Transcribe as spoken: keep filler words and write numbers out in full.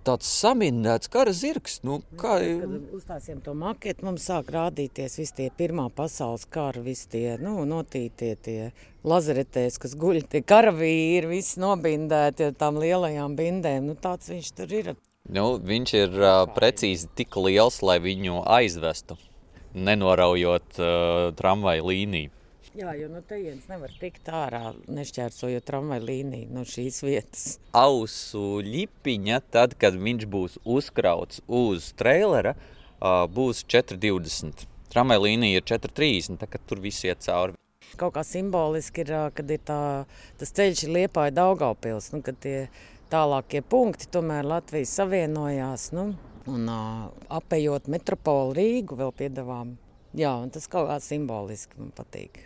tāds samindēts kara zirgs. Nu, kā... Kad uzstāsījām to maketu, mums sāk rādīties visi tie pirmā pasaules kara, visi tie, nu, notītie tie lazaretēs, kas guļ, tie karavīri, visi nobindēti ar tām lielajām bindēm. Nu, tāds viņš tur ir. Nu, viņš ir uh, precīzi tik liels, lai viņu aizvestu, nenoraujot uh, tramvaju līniju. Jā, jo no tejienes nevar tikt ārā, nešķērsojot tramvaju līniju no šīs vietas. Ausu ļipiņa, tad, kad viņš būs uzkrauts uz treilera, būs četri divdesmit. Tramvaju līnija ir četri trīsdesmit, tā kad tur viss iet cauri. Kaut kā simboliski ir, kad ir tā, tas ceļš ir Liepāja Daugavpils, nu, kad tie tālākie punkti tomēr Latvijas savienojās, nu, un apejot metropolu Rīgu vēl piedavām. Jā, un tas kaut kā simboliski man patīk.